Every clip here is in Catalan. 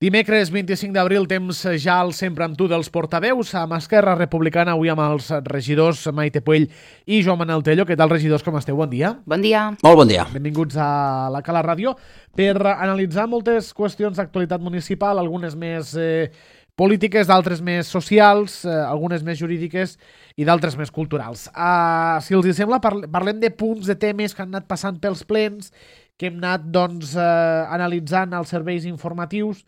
Dimecres 25 d'abril, temps ja al Sempre amb tu dels portaveus. Amb Esquerra Republicana, avui amb els regidors Maite Puell i Joan Manel Tello. Què tal, regidors, com esteu? Bon dia. Bon dia. Molt bon dia. Benvinguts a la Cala Ràdio per analitzar moltes qüestions d'actualitat municipal, algunes més polítiques, d'altres més socials, algunes més jurídiques i d'altres més culturals. Si els sembla, parlem de punts, de temes que han anat passant pels plens, que hem anat analitzant els serveis informatius,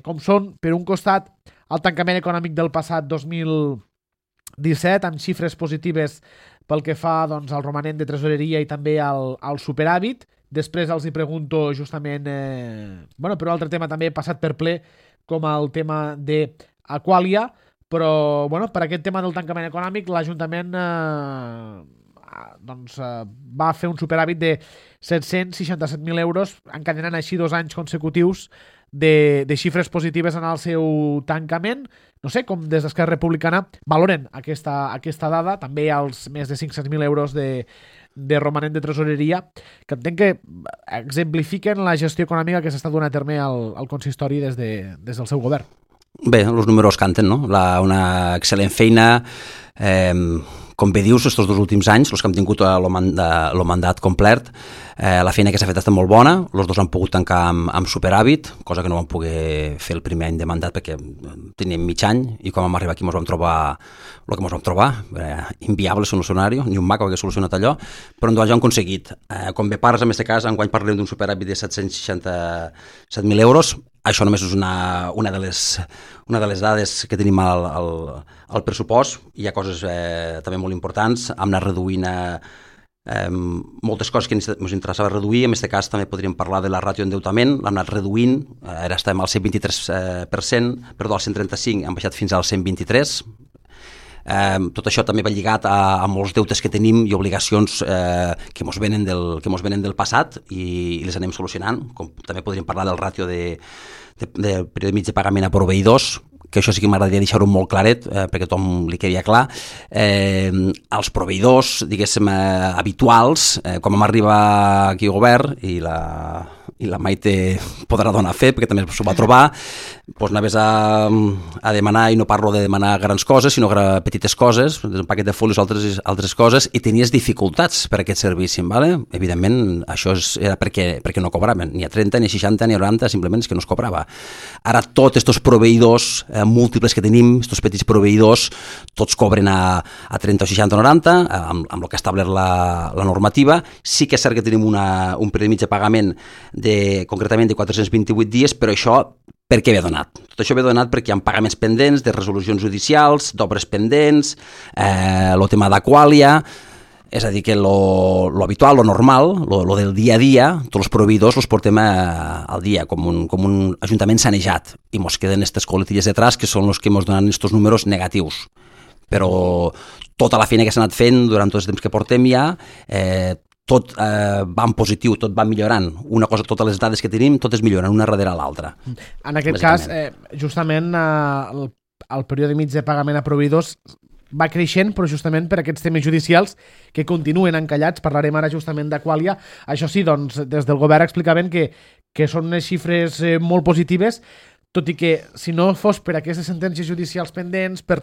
com són, per un costat, el tancament econòmic del passat 2017, amb xifres positives pel que fa al romanent de tresoreria i també al superàvit. Després els hi pregunto justament, per un altre tema també passat per ple, com el tema d'Aquàlia, però per aquest tema del tancament econòmic l'Ajuntament va fer un superàvit de 767.000 euros, encadenant així 2 anys consecutius de xifres positives en el seu tancament. No sé com des d'Esquerra Republicana valoren aquesta dada, també els més de 500.000 euros de romanent de tresoreria, que entenc que exemplifiquen la gestió econòmica que s'està donant a terme al consistori des del seu govern. Bé, els números canten, no? Una excel·lent feina, com bé dius, estos 2 últims anys, els que hem tingut el mandat complet, la feina que s'ha fet ha estat molt bona, els 2 han pogut tancar amb superàvit, cosa que no vam poder fer el primer any de mandat perquè teníem mig any, i quan vam arribar aquí ens vam trobar el que ens vam trobar, inviable solucionari, ni un maco hagués solucionat allò, però en 2 anys ho hem aconseguit. Com bé parles, en aquest cas, enguany parlem d'un superàvit de 767.000 euros. Això només és una de les dades que tenim al pressupost. Hi ha coses també molt importants. Hem anat reduint moltes coses que ens interessava reduir. En aquest cas també podríem parlar de la ràtio d'endeutament. L'hem anat reduint. Ara estem al 123%, perdó, al 135%, hem baixat fins al 123%. Tot això també va lligat a molts deutes que tenim i obligacions que mos venen del passat i les anem solucionant, com també podríem parlar del ràtio de període mig de pagament a proveïdors, que això sí que m'agradaria deixar-ho molt claret perquè a tothom li quedia clar. Els proveïdors, diguéssim, habituals, quan vam arribar aquí al govern i la Maite podrà donar fe, perquè també s'ho va trobar, doncs anaves a demanar, i no parlo de demanar grans coses, sinó petites coses, un paquet de folis o altres coses, i tenies dificultats per aquest servici, ¿vale? Evidentment, això era perquè no cobraven, ni a 30, ni a 60, ni a 90, simplement és que no es cobrava. Ara tots aquests proveïdors múltiples que tenim, aquests petits proveïdors, tots cobren a 30 o 60 o 90, amb el que ha establert la normativa. Sí que és cert que tenim un període mig de pagament concretament de 428 dies, però això per què ve donat? Tot això ve donat perquè hi ha pagaments pendents de resolucions judicials, d'obres pendents, el tema d'Aquàlia, és a dir, que lo habitual, lo normal, lo del dia a dia, tots els proveïdors els portem al dia, com un ajuntament sanejat, i mos queden aquestes coletilles detrás que són els que mos donen aquests números negatius. Però tota la feina que s'ha anat fent durant tot el temps que portem ja, tot va en positiu, tot va millorant. Una cosa, totes les dades que tenim, totes milloren, una darrere l'altra. En aquest cas, justament el període mig de pagament a proveïdors va creixent, però justament per aquests temes judicials que continuen encallats. Parlarem ara justament d'Aquàlia. Això sí, doncs, des del govern explicaven que són unes xifres molt positives, tot i que si no fos per aquestes sentències judicials pendents, per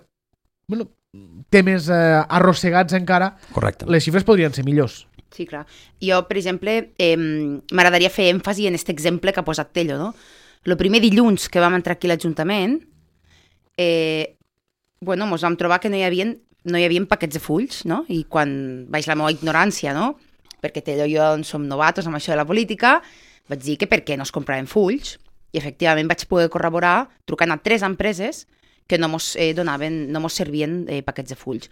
temes arrossegats encara, correcte, les xifres podrien ser millors. Sí, clar. Jo, per exemple, m'agradaria fer èmfasi en aquest exemple que ha posat Tello, no? El primer dilluns que vam entrar aquí a l'Ajuntament, mos vam trobar que no hi havia paquets de fulls, no? I quan vaig la meva ignorància, no? Perquè Tello i jo som novatos amb això de la política, vaig dir que per què no es compraven fulls. I efectivament vaig poder corroborar trucant a 3 empreses que no mos servien paquets de fulls.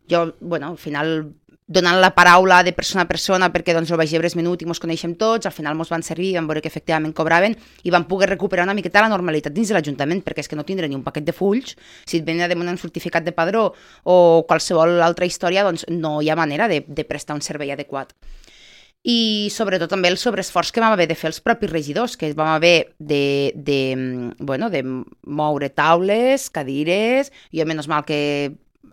Jo, al final, donant la paraula de persona a persona, perquè el vaig llebre minut i mos coneixem tots, al final mos van servir, vam veure que efectivament cobraven i vam poder recuperar una miqueta la normalitat dins de l'Ajuntament, perquè és que no tindre ni un paquet de fulls, si et venen a demanar un certificat de padró o qualsevol altra història, doncs no hi ha manera de prestar un servei adequat. I sobretot també el sobreesforç que vam haver de fer els propis regidors, que vam haver de moure taules, cadires. Jo, menys mal que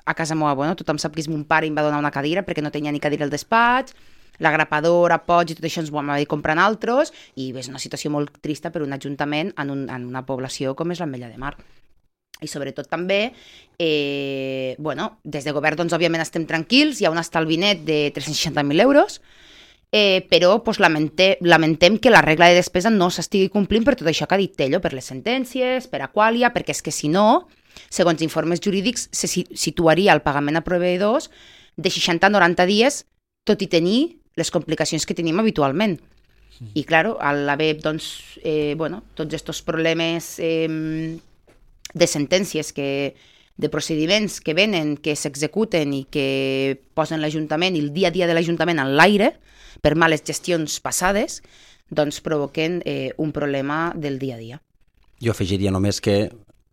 a casa meva, tothom sap que és mon pare i em va donar una cadira perquè no tenia ni cadira al despatx. la grapadora, pots i tot això ens ho vam haver de comprar en altres, i és una situació molt trista per un ajuntament en una població com és l'Ametlla de Mar. I sobretot també, des de govern, doncs, òbviament estem tranquils, hi ha un estalvi net de 360.000 euros, però doncs, lamentem que la regla de despesa no s'estigui complint per tot això que ha dit Tello, per les sentències, per Aqualia, perquè és que si no, segons informes jurídics, se situaria el pagament a proveïdors de 60 a 90 dies, tot i tenir les complicacions que tenim habitualment. I, clar, al haver, doncs, tots aquests problemes de sentències, de procediments que venen, que s'executen i que posen l'Ajuntament i el dia a dia de l'Ajuntament en l'aire per males gestions passades, doncs provoquen un problema del dia a dia. Jo afegiria només que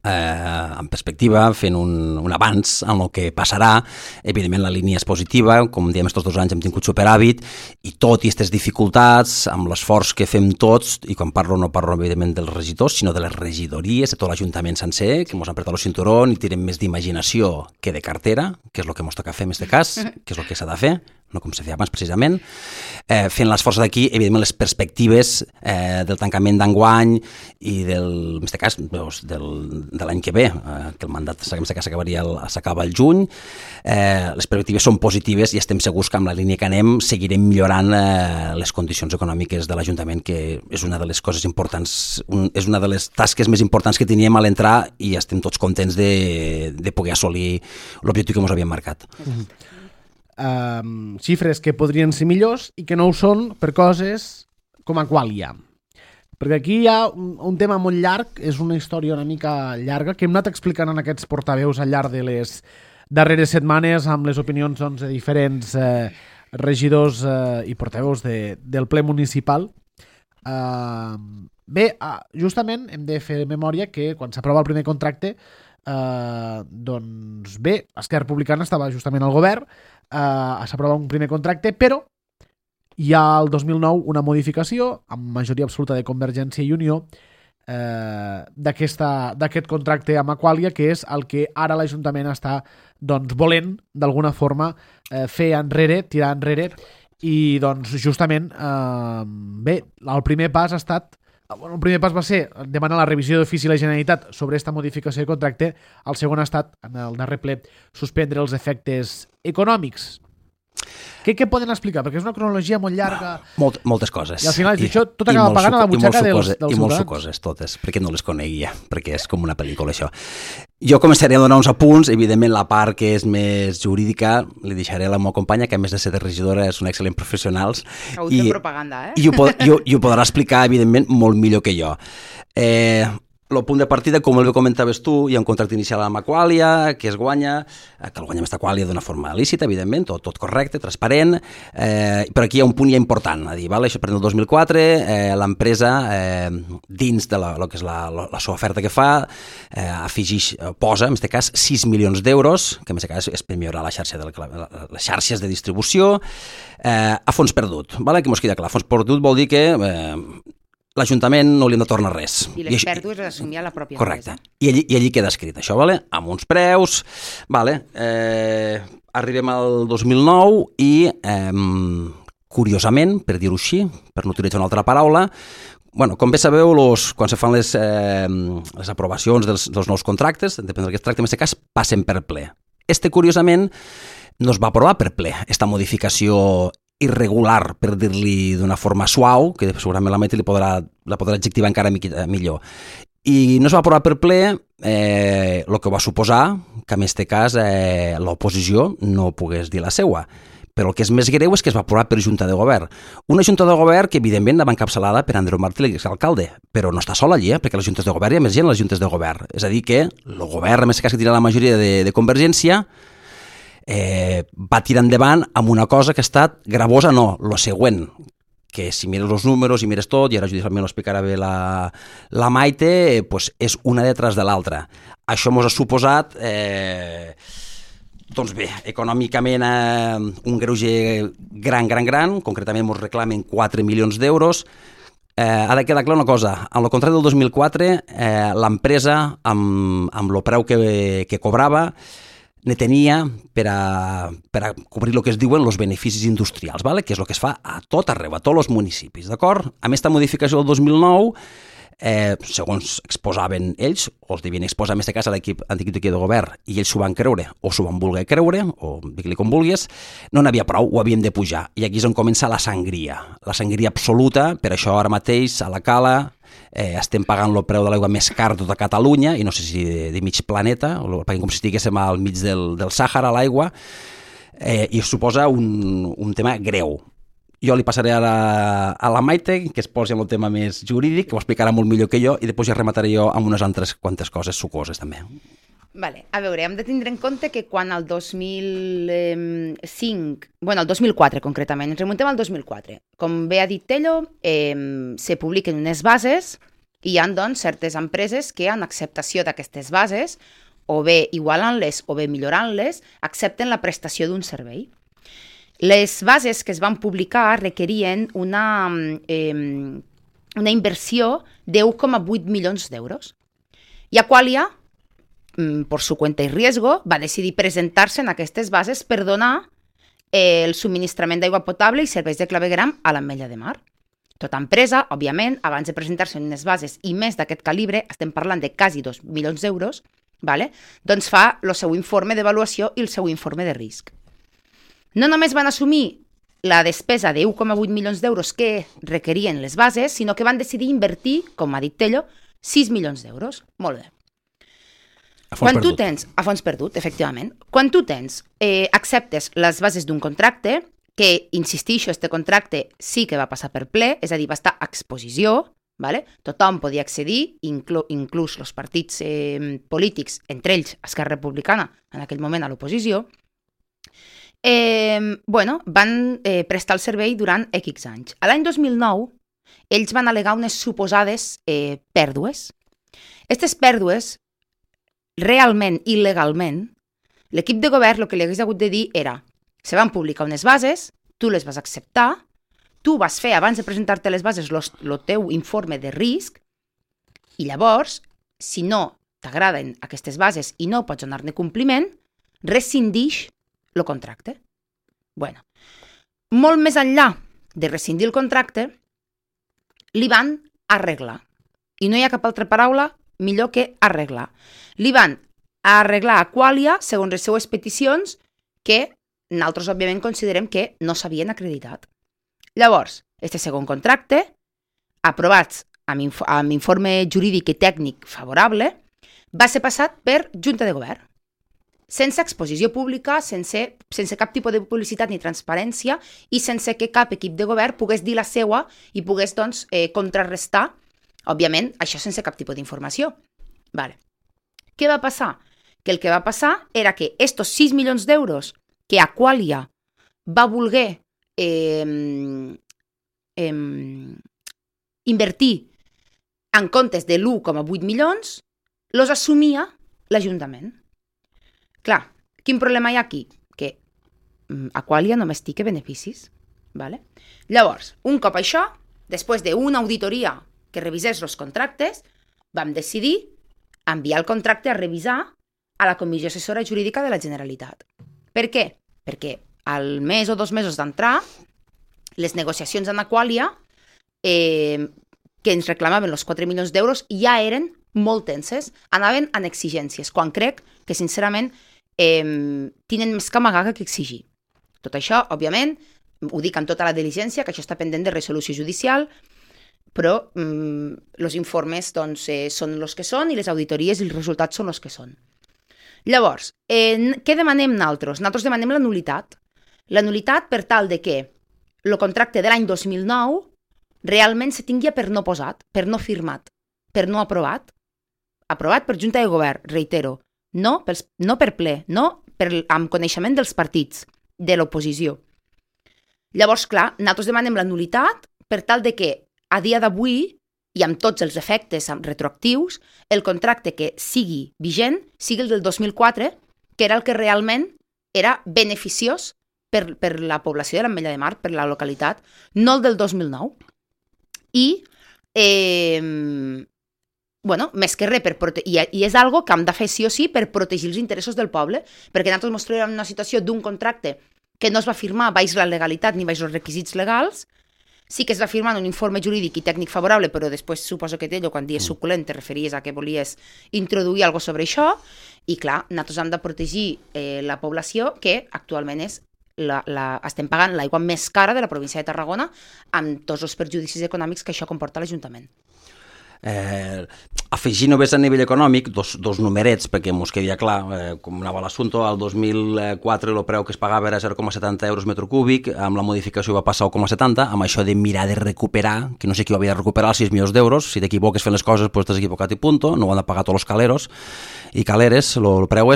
en perspectiva, fent un avanç en el que passarà. Evidentment la línia és positiva, com diem, estos 2 anys hem tingut superàvit, i tot i aquestes dificultats, amb l'esforç que fem tots, i quan parlo no parlo evidentment dels regidors, sinó de les regidories, de tot l'Ajuntament sencer, que ens han apretat el cinturón i tirem més d'imaginació que de cartera, que és el que ens toca fer en aquest cas, que és el que s'ha de fer, no com se feia abans precisament, fent l'esforç d'aquí, evidentment les perspectives del tancament d'enguany i en aquest cas de l'any que ve, que el mandat s'acaba el juny, les perspectives són positives i estem segurs que amb la línia que anem seguirem millorant les condicions econòmiques de l'Ajuntament, que és una de les coses importants, és una de les tasques més importants que teníem a l'entrar, i estem tots contents de poder assolir l'objectiu que ens havíem marcat. Xifres que podrien ser millors i que no ho són per coses com Aqualia. Perquè aquí hi ha un tema molt llarg, és una història una mica llarga, que hem anat explicant en aquests portaveus al llarg de les darreres setmanes amb les opinions de diferents regidors i portaveus del ple municipal. Justament hem de fer memòria que quan s'aprova el primer contracte, doncs bé, Esquerra Republicana estava justament al govern, s'aprova un primer contracte, però hi ha el 2009 una modificació amb majoria absoluta de Convergència i Unió d'aquest contracte amb Aqualia, que és el que ara l'Ajuntament està volent d'alguna forma fer enrere, tirar enrere, i doncs justament el primer pas ha estat el primer pas va ser demanar la revisió d'ofici a la Generalitat sobre aquesta modificació de contracte. El segon ha estat, en el darrer ple, suspendre els efectes econòmics. Què poden explicar? Perquè és una cronologia molt llarga. Moltes coses. I al final això tot acaba pagant a la butxaca dels ciutadans. I molt sucoses, totes, perquè no les coneguia, perquè és com una pel·lícula, això. Jo començaré a donar uns apunts, evidentment la part que és més jurídica li deixaré a la meva companya, que a més de ser de regidora és una excel·lent professional. I propaganda, I ho podrà explicar, evidentment, molt millor que jo. El punt de partida, com el comentaves tu, hi ha un contracte inicial amb Aqualia, que es guanya, que el guanya amb Aqualia d'una forma lícita, evidentment, tot correcte, transparent, però aquí hi ha un punt ja important, a dir, això per el 2004, l'empresa, dins de lo que és la seva oferta que fa, posa, en aquest cas, 6 milions d'euros, que en aquest cas és per millorar les xarxes de distribució, a fons perdut. Que mos queda clar, fons perdut vol dir que l'Ajuntament no li hem de tornar res. I les pèrdues les assumia la pròpia empresa. Correcte. I allí queda escrit això, amb uns preus. Arribem al 2009 i, curiosament, per dir-ho així, per no utilitzar una altra paraula, com bé sabeu, quan se fan les aprovacions dels nous contractes, depèn del que es tracta, en aquest cas, passen per ple. Curiosament, no es va aprovar per ple, aquesta modificació irregular, per dir-li d'una forma suau, que segurament la Maite la podrà adjectivar encara millor. I no es va aprovar per ple, el que va suposar que en aquest cas l'oposició no pogués dir la seua. Però el que és més greu és que es va aprovar per Junta de Govern. Una Junta de Govern que, evidentment, va encapçalada per Andreu Martí, l'exalcalde, però no està sol allí, perquè les Juntes de Govern hi ha més gent a les Juntes de Govern. És a dir, que el govern, en aquest cas que tenia la majoria de Convergència, va tirar endavant amb una cosa que ha estat gravosa, lo següent, que si mires els números i mires tot, i ara judicialment ho explicarà bé la Maite, és una detrás de l'altra. Això ens ha suposat, doncs bé, econòmicament un greuge gran, concretament ens reclamen 4 milions d'euros. Ha de quedar clar una cosa, en el contracte del 2004, l'empresa, amb el preu que cobrava, ne tenia per a cobrir el que es diuen els beneficis industrials, ¿vale? Que és el que es fa a tot arreu, a tots els municipis, d'acord? Amb aquesta modificació del 2009, segons exposaven ells, o els devien exposar en aquest cas a l'equip antic de govern, i ells s'ho van creure, o s'ho van voler creure, o digue-li com vulguis, no n'havia prou, ho havíem de pujar. I aquí és on comença la sangria absoluta. Per això ara mateix a la Cala estem pagant el preu de l'aigua més car de tota Catalunya, i no sé si de mig planeta, perquè com si estiguéssim al mig del Sàhara, l'aigua, i suposa un tema greu. Jo li passaré ara a la Maite, que es posi en el tema més jurídic, que ho explicarà molt millor que jo, i després ja remataré jo amb unes altres quantes coses sucoses també. Vale. A veure, hem de tindre en compte que quan el 2005, bueno, el 2004 concretament, ens remuntem al 2004, com bé ha dit Tello, se publiquen unes bases i hi ha doncs, certes empreses que en acceptació d'aquestes bases, o bé igualant-les o bé millorant-les, accepten la prestació d'un servei. Les bases que es van publicar requerien una inversió de 1,8 milions d'euros. I Aqualia, por su cuenta y riesgo, va decidir presentar-se en aquestes bases per donar el subministrament d'aigua potable i serveis de clavegueram a l'Ametlla de Mar. Tota empresa, òbviament, abans de presentar-se en unes bases i més d'aquest calibre, estem parlant de quasi 2 milions d'euros, vale? Doncs fa el seu informe d'avaluació i el seu informe de risc. No només van assumir la despesa de 1,8 milions d'euros que requerien les bases, sinó que van decidir invertir, com ha dit Tello, 6 milions d'euros. Molt bé. A fons perdut. A fons perdut, efectivament. Quan tu acceptes les bases d'un contracte, que, insistixo, este contracte sí que va passar per ple, és a dir, va estar a exposició, vale? Tothom podia accedir, inclús els partits polítics, entre ells Esquerra Republicana, en aquell moment a l'oposició, van prestar el servei durant X anys. A l'any 2009, ells van al·legar unes suposades pèrdues. Aquestes pèrdues, realment i legalment, l'equip de govern el que li hagués hagut de dir era: se van publicar unes bases, tu les vas acceptar, tu vas fer, abans de presentar-te les bases, el teu informe de risc, i llavors, si no t'agraden aquestes bases i no pots donar-ne compliment, rescindix el contracte. Bueno, molt més enllà de rescindir el contracte, li van arreglar. I no hi ha cap altra paraula millor que arreglar. Li van arreglar a Aqualia segons les seues peticions que nosaltres, òbviament, considerem que no s'havien acreditat. Llavors, este segon contracte, aprovat amb informe jurídic i tècnic favorable, va ser passat per Junta de Govern, sense exposició pública, sense cap tipus de publicitat ni transparència i sense que cap equip de govern pogués dir la seua i pogués, doncs, contrarrestar, òbviament, això sense cap tipus d'informació. Vale. Què va passar? Que el que va passar era que estos 6 milions d'euros que Aqualia va voler invertir en comptes de l'1,8 milions, los assumia l'Ajuntament. Clar, quin problema hi ha aquí? Que Aqualia només té beneficis. Vale? Llavors, un cop això, després d'una auditoria que revisés els contractes, vam decidir enviar el contracte a revisar a la Comissió Assessora Jurídica de la Generalitat. Per què? Perquè al mes o 2 mesos d'entrar, les negociacions amb Aqualia, que ens reclamaven els 4 milions d'euros, ja eren molt tenses, anaven en exigències, quan crec que, sincerament, tenen més que amagar que exigir. Tot això, òbviament, ho dic amb tota la diligència, que això està pendent de resolució judicial, però els informes doncs, són els que són i les auditories i els resultats són els que són. Llavors, què demanem nosaltres? Nosaltres demanem la nul·litat. La nul·litat per tal de que el contracte de l'any 2009 realment se tingui per no posat, per no firmat, per no aprovat. Aprovat per Junta de Govern, reitero, no per ple, no amb coneixement dels partits, de l'oposició. Llavors, clar, nosaltres demanem la nul·litat per tal de que a dia d'avui, i amb tots els efectes retroactius, el contracte que sigui vigent sigui el del 2004, que era el que realment era beneficiós per la població de l'Ametlla de Mar, per la localitat, no el del 2009. I bueno, més que res, i és algo que hem de fer sí o sí per protegir els interessos del poble, perquè nosaltres ens trobem en una situació d'un contracte que no es va firmar baix la legalitat ni baix els requisits legals. Sí que es va firmar un informe jurídic i tècnic favorable, però després suposo que t'ello, quan dies suculent, te referies a que volies introduir alguna cosa sobre això, i clar, nosaltres hem de protegir la població, que actualment és estem pagant l'aigua més cara de la província de Tarragona, amb tots els perjudicis econòmics que això comporta a l'Ajuntament. Afegir només a nivell econòmic dos numerets perquè mos quedi clar com anava l'assumpte. Al 2004 el preu que es pagava era 0,70 euros metre cúbic, amb la modificació va passar a 1,70, amb això de mirar de recuperar, que no sé qui ho havia de recuperar, els 6 milions d'euros. Si t'equivoques fent les coses, pues t'has equivocat i punto, no ho han de pagar tots els caleros i caleres, el preu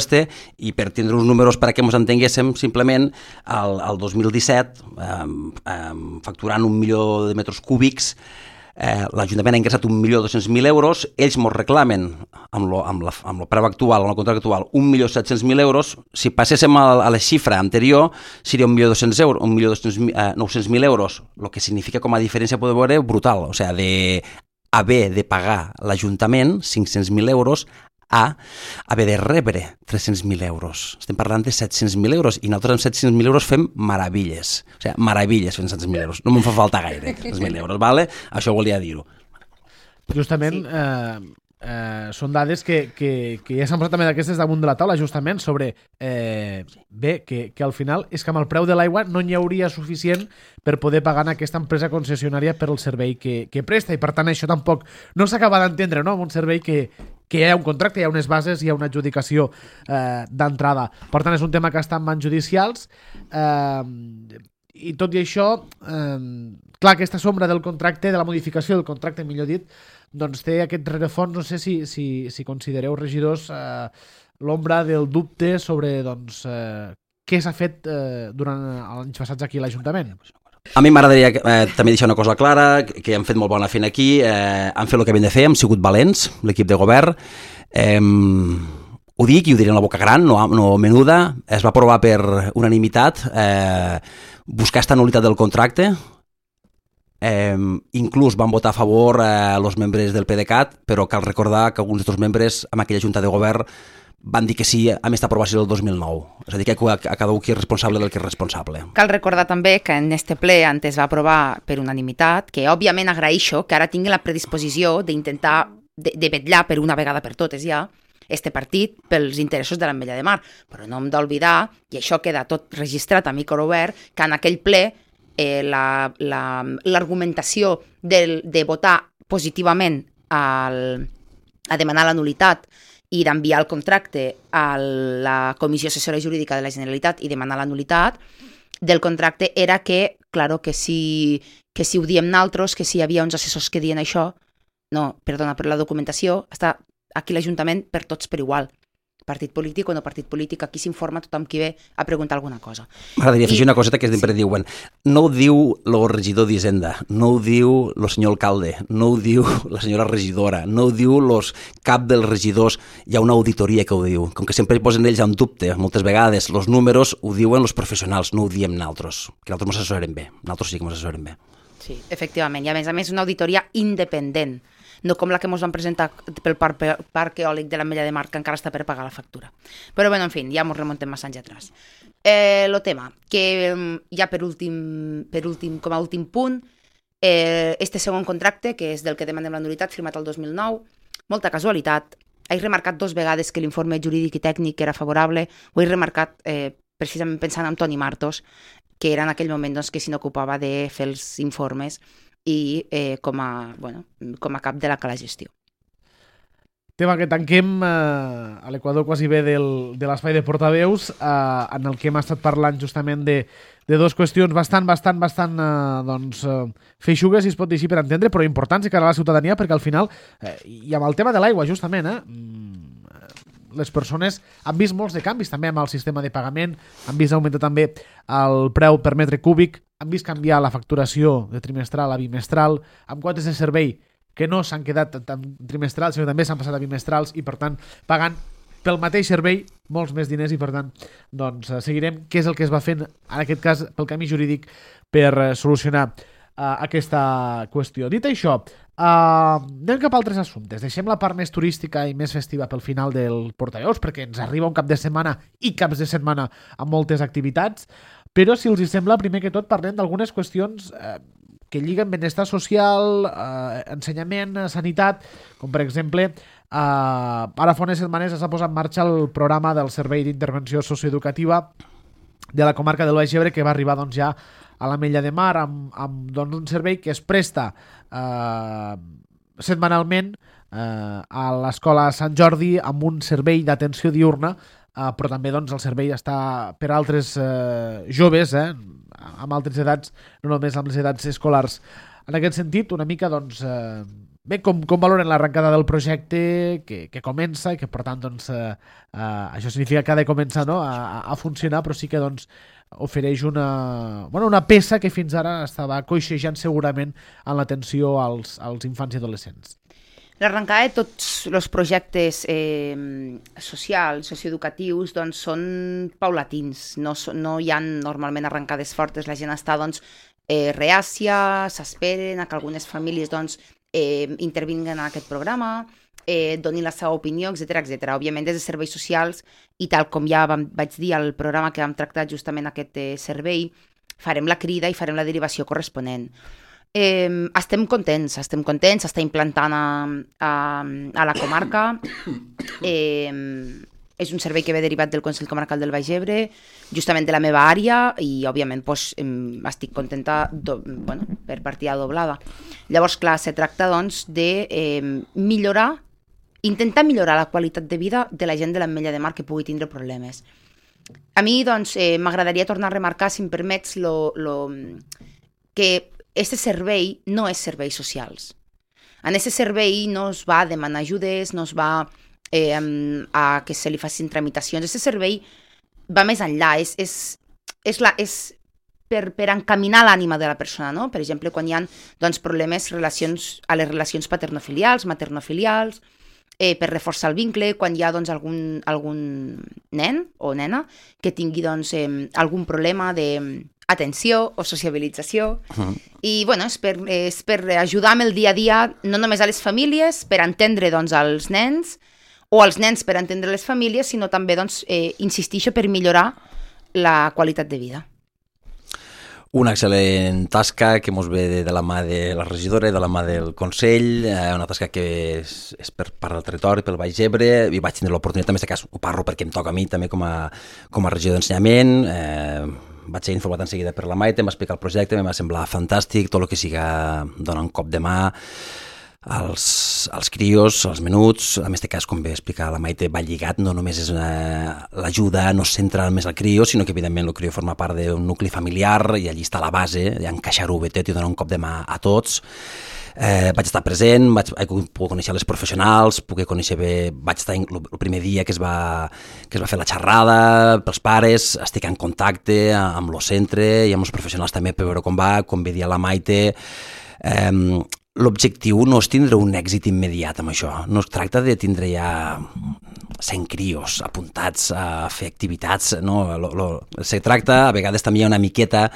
i per tindre uns números per a que ens entenguéssim, simplement al 2017 facturant 1 milió de metres cúbics, l'Ajuntament ha ingressat 1.200.000 euros, ells ens reclamen amb el preu actual, amb el contracte actual, 1.700.000 euros. Si passéssim a la xifra anterior seria 1.900.000 euros, el que significa com a diferència poder veure brutal, o sigui, d'haver de pagar l'Ajuntament 500.000 euros a haver de rebre 300.000 euros. Estem parlant de 700.000 euros i nosaltres amb 700.000 euros fem meravilles. O sigui, meravilles fent 700.000 euros. No me'n fa falta gaire, 300.000 euros, ¿vale? Això volia dir-ho. Justament, són dades que ja s'han posat també d'aquestes damunt de la taula, justament, sobre que al final és que amb el preu de l'aigua no n'hi hauria suficient per poder pagar en aquesta empresa concessionària per el servei que presta, i per tant això tampoc no s'acaba d'entendre, no?, amb un servei que hi ha un contracte, hi ha unes bases, hi ha una adjudicació d'entrada. Per tant, és un tema que està en mans judicials, i tot i això, clar, aquesta sombra del contracte, de la modificació del contracte, millor dit, doncs té aquest rerefons. No sé si considereu, regidors, l'ombra del dubte sobre què s'ha fet durant els anys passats aquí a l'Ajuntament. A mi m'agradaria també deixar una cosa clara, que han fet molt bona feina aquí, han fet el que havien de fer, hem sigut valents, l'equip de govern, ho dic i ho diré en la boca gran, no menuda, es va aprovar per unanimitat buscar esta nul·litat del contracte, inclús van votar a favor els membres del PDeCAT, però cal recordar que alguns dels membres en aquella junta de govern van dir que sí amb aquesta aprovació del 2009. És a dir, que cada un qui és responsable del que és responsable. Cal recordar també que en este ple antes va aprovar per unanimitat, que òbviament agraeixo que ara tingui la predisposició d'intentar de vetllar per una vegada per totes ja este partit pels interessos de l'Ametlla de Mar. Però no hem d'oblidar, i això queda tot registrat a micro obert, que en aquell ple l'argumentació de votar positivament a demanar la nul·litat i d'enviar el contracte a la Comissió Assessora Jurídica de la Generalitat i demanar la nul·litat del contracte era que, claro, que si ho diem nosaltres, que si hi havia uns assessors que diuen això, no, perdona, per la documentació està aquí l'Ajuntament per tots per igual. Partit polític o no partit polític, aquí s'informa tothom qui ve a preguntar alguna cosa. M'agradaria afegir una coseta que sempre diuen. No ho diu el regidor d'Hisenda, no ho diu el senyor alcalde, no ho diu la senyora regidora, no ho diu cap dels regidors, hi ha una auditoria que ho diu. Com que sempre posen ells en dubte, moltes vegades, els números ho diuen els professionals, no ho diem nosaltres, que nosaltres ens assessorem bé, nosaltres sí que ens assessorem bé. Sí, efectivament, i a més una auditoria independent, no com la que ens van presentar pel parc eòlic de l'Ametlla de Mar, que encara està per pagar la factura. Però, bueno, en fi, ja ens remontem massa anys atrás. El tema, que ja per últim, com a últim punt, este segon contracte, que és del que demanem la nul·litat, firmat el 2009, molta casualitat, he remarcat 2 vegades que l'informe jurídic i tècnic era favorable, ho he remarcat precisament pensant en Toni Martos, que era en aquell moment que se n'ocupava de fer els informes i com a cap de la gestió. Tema que tanquem a l'Equador quasi bé de l'espai de portaveus, en el que hem estat parlant justament de 2 qüestions bastant feixugues, si es pot dir així per entendre, però importants i cara a la ciutadania, perquè al final, i amb el tema de l'aigua justament, les persones han vist molts de canvis també amb el sistema de pagament, han vist augmentar també el preu per metre cúbic, han vist canviar la facturació de trimestral a bimestral, amb quotes de servei que no s'han quedat trimestrals, sinó que també s'han passat a bimestrals i per tant pagant pel mateix servei molts més diners, i per tant doncs seguirem què és el que es va fent en aquest cas pel camí jurídic per solucionar aquesta qüestió. Dit això, Anem cap a altres assumptes. Deixem la part més turística i més festiva pel final del portaveus, perquè ens arriba un cap de setmana i caps de setmana amb moltes activitats, però si els hi sembla, primer que tot parlem d'algunes qüestions que lliguen benestar social, ensenyament, sanitat, com per exemple, ara fa unes setmanes s'ha posat en marxa el programa del Servei d'Intervenció Socioeducativa de la comarca del Baix Ebre, que va arribar doncs, ja a l'Ametlla de Mar amb doncs, un servei que es presta setmanalment a l'Escola Sant Jordi amb un servei d'atenció diurna, però també doncs, el servei està per altres joves, amb altres edats, no només amb les edats escolars. En aquest sentit, una mica, doncs, bé, com valoren l'arrencada del projecte que comença i que, per tant, doncs, això significa que ha de començar, no?, a funcionar, però sí que doncs, ofereix una peça que fins ara estava coixejant segurament en l'atenció als infants i adolescents. L'arrencada de tots els projectes socials, socioeducatius, doncs, són paulatins. No hi ha normalment arrencades fortes. La gent està doncs, reàcia, s'esperen a que algunes famílies doncs, intervinguen en aquest programa, donin la seva opinió, etc etc. Òbviament, des de serveis socials, i tal com ja vaig dir al programa que vam tractar justament aquest servei, farem la crida i farem la derivació corresponent. Estem contents, s'està implantant a la comarca. És un servei que ve derivat del Consell Comarcal del Baix Ebre, justament de la meva àrea, i òbviament doncs, estic contenta per partida doblada. Llavors, clar, se tracta doncs, de intentar millorar la qualitat de vida de la gent de l'Ametlla de Mar que pugui tindre problemes. A mi doncs, m'agradaria tornar a remarcar, si em permets, que aquest servei no és serveis socials. En aquest servei no es va a demanar ajudes, no es va a que se li facin tramitacions. Aquest servei va més enllà, és per encaminar l'ànima de la persona, no? Per exemple, quan hi ha doncs, problemes a les relacions paternofilials, maternofilials, per reforçar el vincle, quan hi ha doncs, algun nen o nena que tingui doncs, algun problema d'atenció o sociabilització. I bueno, és per ajudar amb el dia a dia, no només a les famílies, per entendre doncs, els nens, o els nens per entendre les famílies, sinó també, doncs, insistixo, per millorar la qualitat de vida. Una excel·lent tasca que ens ve de la mà de la regidora i de la mà del Consell, una tasca que és per part del territori, pel Baix Ebre, i vaig tindre l'oportunitat, en aquest cas ho parlo perquè em toca a mi també com a regidor d'ensenyament, vaig ser informat en seguida per la Maite, em va explicar el projecte, em va semblar fantàstic, tot el que siga donar un cop de mà als crios, als menuts. En aquest cas, com bé explicar la Maite, va lligat, no només és l'ajuda, no es centra només al crio, sinó que evidentment el crio forma part d'un nucli familiar i allí està la base, encaixar-ho bé tot i donar un cop de mà a tots. Vaig estar present, vaig poder conèixer les professionals, vaig estar el primer dia que es va fer la xerrada pels pares, estic en contacte amb el centre i amb els professionals també per veure com va, com bé dia la Maite. L'objectiu no és tindre un èxit immediat amb això, no es tracta de tindre ja 100 crios apuntats a fer activitats, no? Se tracta, a vegades també hi ha una miqueta,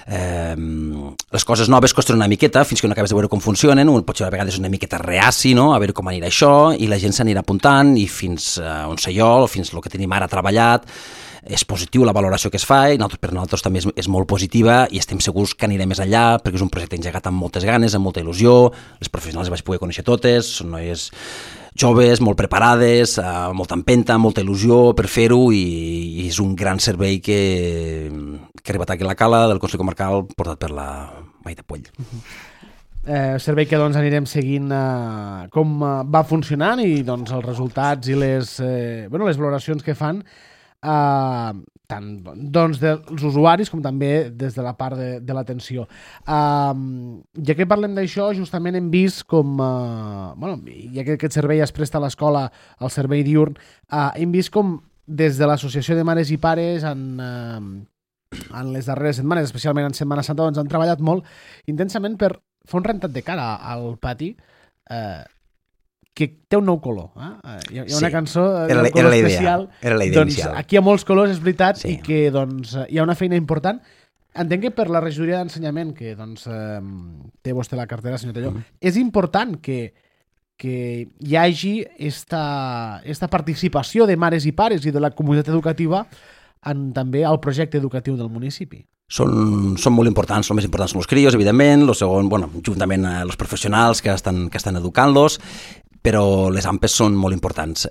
les coses noves costen una miqueta fins que no acabes de veure com funcionen, potser a vegades és una miqueta reaci, no? A veure com anirà això, i la gent s'anirà apuntant, i fins on sé jo, fins el que tenim ara treballat, és positiu la valoració que es fa i per nosaltres també és molt positiva i estem segurs que anirem més enllà perquè és un projecte engegat amb moltes ganes, amb molta il·lusió. Les professionals les vaig poder conèixer totes, són noies joves, molt preparades, amb molta empenta, amb molta il·lusió per fer-ho, i és un gran servei que ha arribat aquí a la Cala del Consell Comarcal portat per la Maite Puell. Servei que doncs, anirem seguint com va funcionant i doncs, els resultats i les valoracions que fan tant doncs, dels usuaris com també des de la part de l'atenció. Ja que parlem d'això, justament hem vist com, ja que aquest servei es presta a l'escola, al servei diurn, hem vist com des de l'Associació de Mares i Pares en les darreres setmanes, especialment en Setmana Santa, doncs han treballat molt intensament per fer un rentat de cara al pati que té un nou color. Hi ha una cançó d'un color especial. Era la idea doncs, inicial. Aquí hi ha molts colors, és veritat, sí. I que doncs, hi ha una feina important. entenc que per la regidoria d'ensenyament, que doncs, té vostè la cartera, senyor Telló, és important que hi hagi esta participació de mares i pares i de la comunitat educativa també al projecte educatiu del municipi. Són molt importants, els més importants són els crios, evidentment, el segon, juntament els professionals que estan educant-los, però les AMPEs són molt importants.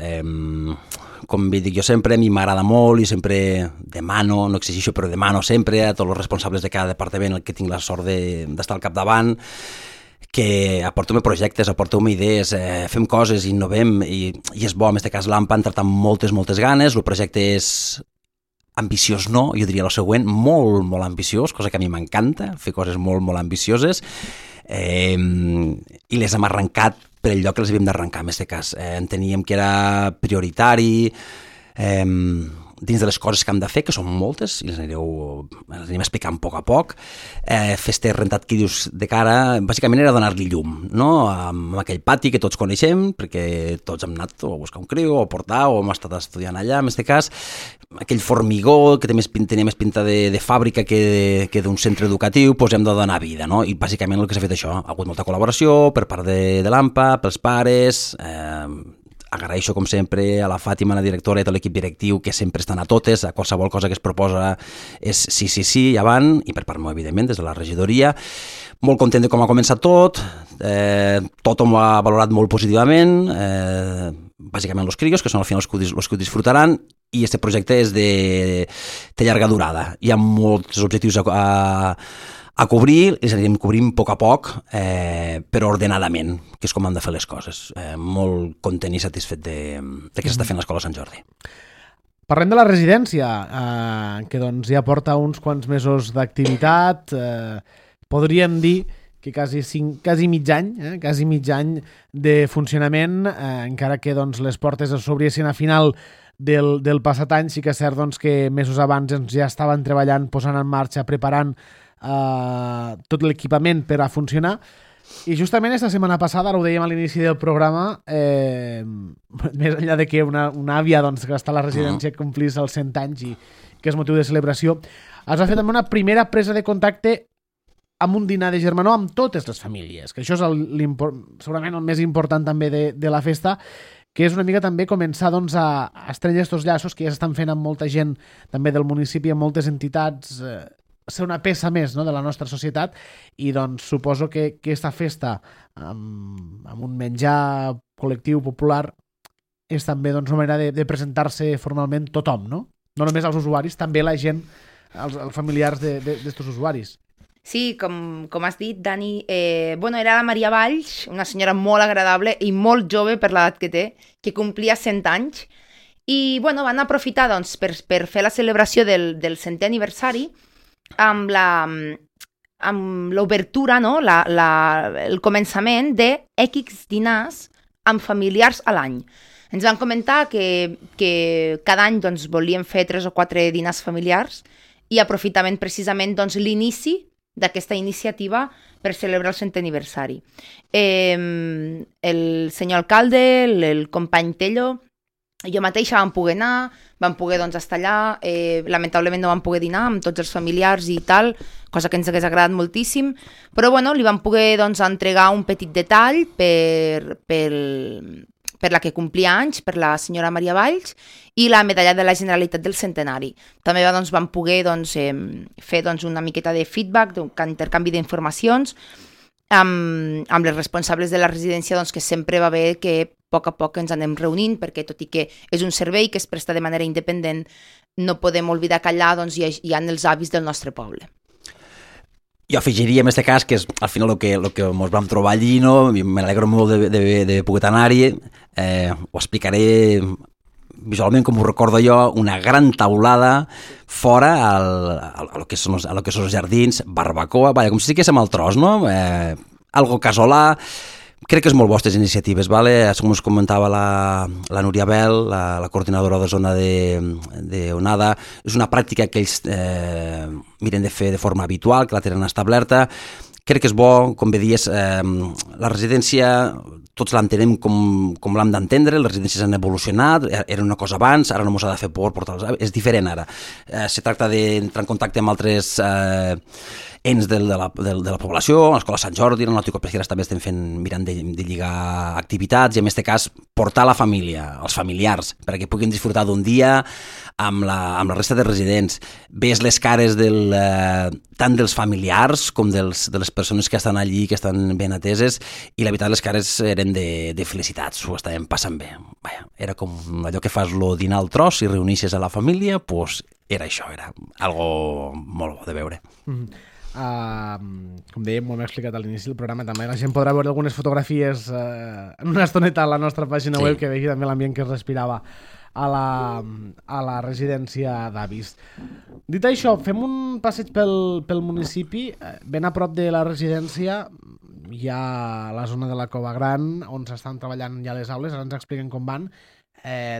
Com dic jo sempre, a mi m'agrada molt i sempre demano, no exigeixo, però demano sempre a tots els responsables de cada departament el que tinc la sort d'estar al capdavant, que aporteu-me projectes, aporteu-me idees, fem coses, innovem, i és bo, en aquest cas l'AMPA ha entrat amb moltes ganes, el projecte és ambiciós no, jo diria el següent, molt, molt ambiciós, cosa que a mi m'encanta, fer coses molt, molt ambicioses, i les hem arrencat per el lloc que les havíem d'arrencar, en aquest cas. Enteníem que era prioritari, dins de les coses que hem de fer, que són moltes, i les anirem explicant a poc, fer rentat que dius de cara, bàsicament era donar-li llum, no? Amb aquell pati que tots coneixem, perquè tots hem anat a buscar un criu, o a portar, o hem estat estudiant allà, en aquest cas, aquell formigó que tenia més pinta de fàbrica que d'un centre educatiu, doncs hem de donar vida, no? I bàsicament el que s'ha fet això, ha hagut molta col·laboració per part de l'AMPA, pels pares, agraeixo com sempre a la Fàtima, la directora i tot l'equip directiu que sempre estan a totes, a qualsevol cosa que es proposa és sí, i avant, i per part meu, evidentment, des de la regidoria. Molt content de com ha començat tot, tothom ho ha valorat molt positivament, bàsicament els crios, que són al final els que ho disfrutaran, i aquest projecte és de llarga durada. Hi ha molts objectius a cobrir, els anirem cobrint a poc, però ordenadament, que és com hem de fer les coses. Molt content i satisfet de que s'està fent l'escola Sant Jordi. Parlem de la residència, que doncs ja porta uns quants mesos d'activitat, podríem dir que quasi mig any de funcionament, encara que doncs, les portes s'obriessin a final del passat any, sí que és cert doncs, que mesos abans ja estaven treballant, posant en marxa, preparant tot l'equipament per a funcionar, i justament esta setmana passada, ara ho dèiem a l'inici del programa, més enllà de que una àvia doncs, que està a la residència complís els 100 anys i que és motiu de celebració, es va fer també una primera presa de contacte amb un dinar de germanor amb totes les famílies, que això és segurament el més important també de la festa, que és una mica també començar doncs, a estrènyer aquests llaços que ja s'estan fent amb molta gent també del municipi, amb moltes entitats, ser una peça més, no?, de la nostra societat, i doncs suposo que aquesta festa amb un menjar col·lectiu popular és també doncs, una manera de presentar-se formalment tothom, no? No només als usuaris, també la gent, els familiars d'estos usuaris. Sí, com has dit, Dani, era la Maria Valls, una senyora molt agradable i molt jove per l'edat que té, que complia 100 anys, i van aprofitar doncs, per fer la celebració del 100è aniversari amb l'obertura, no? El començament de X dinars amb familiars a l'any. Ens van comentar que cada any doncs, volien fer 3 o 4 dinars familiars i aprofitament precisament doncs, l'inici d'aquesta iniciativa per celebrar el 100è aniversari. El senyor alcalde, el company Tello, jo mateixa vam poder anar, vam poder doncs, estar allà, lamentablement no vam poder dinar amb tots els familiars i tal, cosa que ens hagués agradat moltíssim, però li vam poder doncs, entregar un petit detall per la que complia anys, per la senyora Maria Valls, i la medalla de la Generalitat del Centenari. També vam poder fer una miqueta de feedback, intercanvi d'informacions, amb les responsables de la residència, que sempre va bé que a poc ens anem reunint, perquè tot i que és un servei que es presta de manera independent, no podem oblidar que allà hi ha els avis del nostre poble. Jo afegiria en aquest cas que és al final el que ens vam trobar allí, no? Me n'alegro molt de poder anar-hi, ho explicaré visualment com ho recordo jo, una gran taulada fora a lo que són els jardins, barbacoa, com si estiguéssim al tros, no? Algo casolà. Crec que és molt bo aquestes iniciatives, com us comentava la Núria Bel, la coordinadora de zona d'Onada, és una pràctica que ells miren de fer de forma habitual, que la tenen establerta. Crec que és bo, com bé dies, la residència, tots l'entenem com l'hem d'entendre, les residències han evolucionat, era una cosa abans, ara no mos ha de fer por portar-los, és diferent ara. Se tracta d'entrar en contacte amb altres ens de la població, l'Escola Sant Jordi, en l'Òtico Pesqueres també estem mirant de lligar activitats i en aquest cas portar la família, els familiars, perquè puguin disfrutar d'un dia amb la resta de residents. Ves les cares tant dels familiars com de les persones que estan allí, que estan ben ateses, i la veritat les cares eren de felicitats, ho estàvem passant bé. Vaja, era com allò que fas lo dinar al tros i reunixes a la família, doncs era això, era algo molt bo de veure. Com dèiem, ho hem explicat a l'inici del programa, també la gent podrà veure algunes fotografies en una estoneta a la nostra pàgina web, que vegi també l'ambient que es respirava a la residència d'avis. Dit això, fem un passeig pel municipi. Ben a prop de la residència hi ha la zona de la Cova Gran, on s'estan treballant ja les aules, ara ens expliquen com van.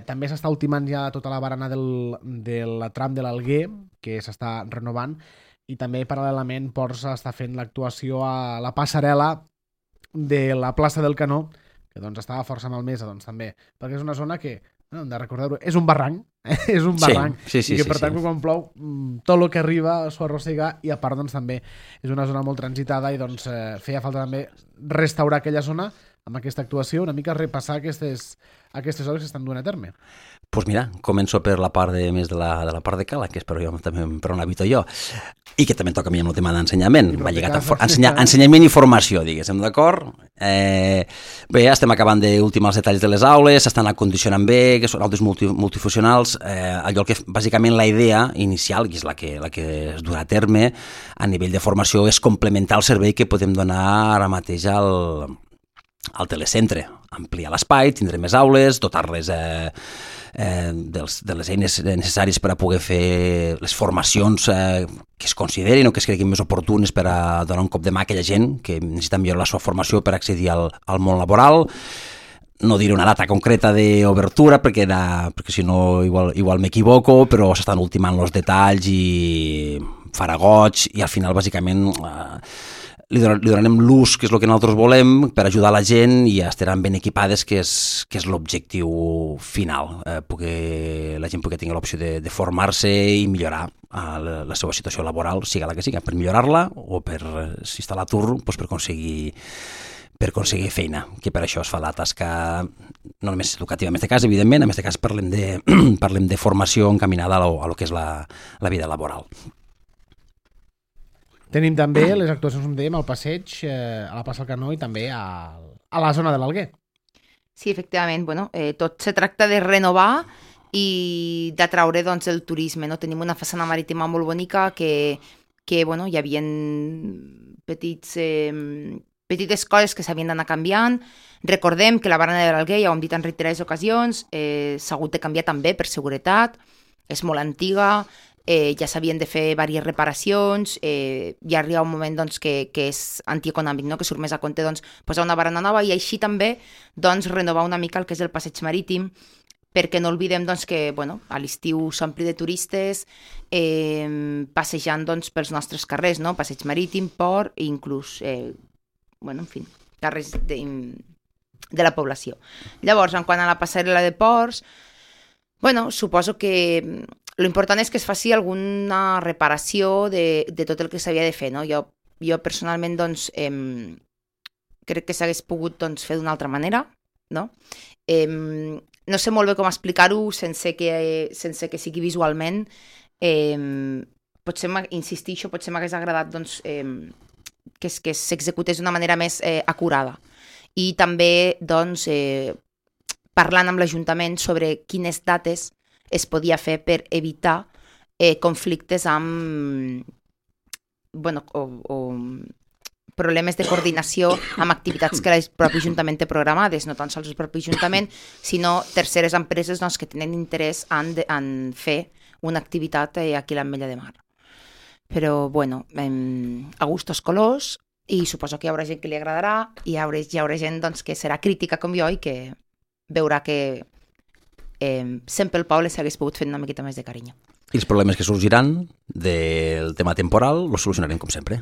També s'està ultimant ja tota la barana del tram de l'Alguer, que s'està renovant, i també paral·lelament Ports està fent l'actuació a la passarel·la de la plaça del Canó, que doncs estava força malmesa, doncs també, perquè és una zona que, hem de recordar-ho, és un barranc, és un barranc, i que per tant quan plou tot el que arriba s'ho arrossega, i a part doncs també és una zona molt transitada i doncs feia falta també restaurar aquella zona amb aquesta actuació, una mica repassar aquestes obres que estan duent a terme. Doncs mira, començo per la part més de la part de Cala, que és per on habito jo, i que també toca a mi amb el tema d'ensenyament. Va lligat a ensenyament i formació, diguéssim, d'acord? Bé, estem acabant d'ultimar els detalls de les aules, s'estan acondicionant bé, que són aules multifuncionals. Allò que, bàsicament, la idea inicial, que és la que es durà a terme, a nivell de formació, és complementar el servei que podem donar ara mateix al telecentre. Ampliar l'espai, tindre més aules, dotar-les de les eines necessàries per a poder fer les formacions que es considerin o que es creguin més oportunes per a donar un cop de mà a aquella gent que necessita millorar la seva formació per accedir al món laboral. No diré una data concreta d'obertura perquè si no igual m'equivoco, però s'estan ultimant els detalls i farà goig, i al final bàsicament li donarem l'ús, que és el que nosaltres volem, per ajudar la gent, i estaran ben equipades, que és l'objectiu final, la gent pugui tenir l'opció de formar-se i millorar la seva situació laboral, siga la que siga, per millorar-la o per, si està a l'atur, per aconseguir feina, que per això es fa la tasca no només educativa, en aquest cas, evidentment, en aquest cas parlem de formació encaminada a lo que és la vida laboral. Tenim també les actuacions, com dèiem, al passeig, a la plaça del Canó i també a la zona de l'Alguer. Sí, efectivament. Tot se tracta de renovar i d'atraure doncs, el turisme. No? Tenim una façana marítima molt bonica que hi havia petites coses que s'havien d'anar canviant. Recordem que la barana de l'Alguer, ja ho hem dit en reiterades ocasions, s'ha hagut de canviar també per seguretat, és molt antiga, ja s'havien de fer diverses reparacions, ja arriba un moment doncs, que és antieconòmic, no? Que surt més a compte doncs, posar una barana nova i així també doncs, renovar una mica el que és el passeig marítim, perquè no oblidem doncs, que a l'estiu s'ompli de turistes passejant doncs, pels nostres carrers, no? Passeig marítim, port i inclús carrers de la població. Llavors, en quant a la passarel·la de ports, suposo que l'important és que es faci alguna reparació de tot el que s'havia de fer, no? Jo personalment doncs, crec que s'hagués pogut doncs, fer d'una altra manera, no? No sé molt bé com explicar-ho sense que sigui visualment. Potser m'hagués agradat doncs, que s'executés d'una manera més acurada. I també doncs, parlant amb l'Ajuntament sobre quines dates es podia fer per evitar conflictes amb problemes de coordinació amb activitats que el propi Ajuntament té programades, no tan sols el propi Ajuntament, sinó terceres empreses doncs, que tenen interès en fer una activitat aquí a l'Ametlla de Mar. Però, a gustos colors, i suposo que hi haurà gent que li agradarà, i hi haurà gent doncs, que serà crítica com jo i que veurà que sempre el poble s'hagués pogut fer una miqueta més de carinyo. I els problemes que sorgiran del tema temporal els solucionarem com sempre.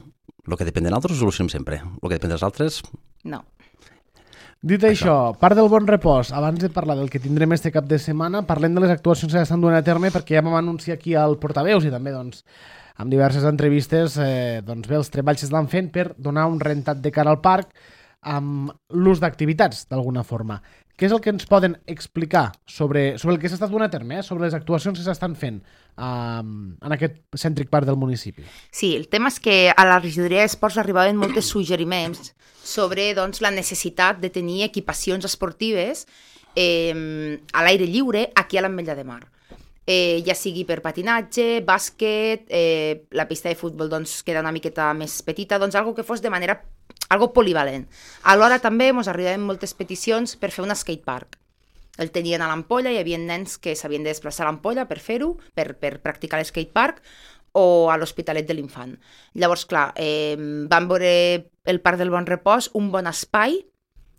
El que depèn de nosaltres ho solucionem sempre. El que depèn dels altres... No. Dit això, part del bon repòs, abans de parlar del que tindrem este cap de setmana, parlem de les actuacions que s'estan duent a terme, perquè ja vam anunciar aquí al Portaveus i també doncs, amb diverses entrevistes doncs bé, els treballs s'estan fent per donar un rentat de cara al parc amb l'ús d'activitats, d'alguna forma. Què és el que ens poden explicar sobre el que s'està duent a terme, sobre les actuacions que s'estan fent en aquest cèntric parc del municipi? Sí, el tema és que a la regidoria d'esports arribaven molts suggeriments sobre doncs, la necessitat de tenir equipacions esportives a l'aire lliure aquí a l'Ametlla de Mar. Ja sigui per patinatge, bàsquet, la pista de futbol doncs, queda una miqueta més petita, doncs algo que fos de manera algo polivalent. Alhora també ens arribaven moltes peticions per fer un skatepark. El tenien a l'Ampolla, hi havia nens que s'havien de desplaçar a l'Ampolla per fer-ho, per practicar l'skatepark, o a l'Hospitalet de l'Infant. Llavors, clar, vam veure el Parc del Bon Repòs un bon espai